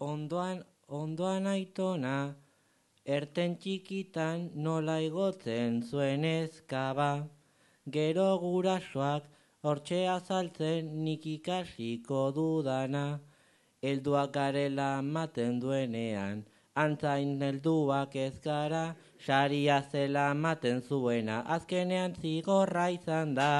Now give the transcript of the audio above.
ondoan aitona, erten txikitan nola igotzen zuen ezkaba. Gero gurasoak hortxe azaltzen nik ikasiko dudana. Helduak garela maten duenean, antzain helduak ez gara, saria zela maten zuena, azkenean zigorra izan da.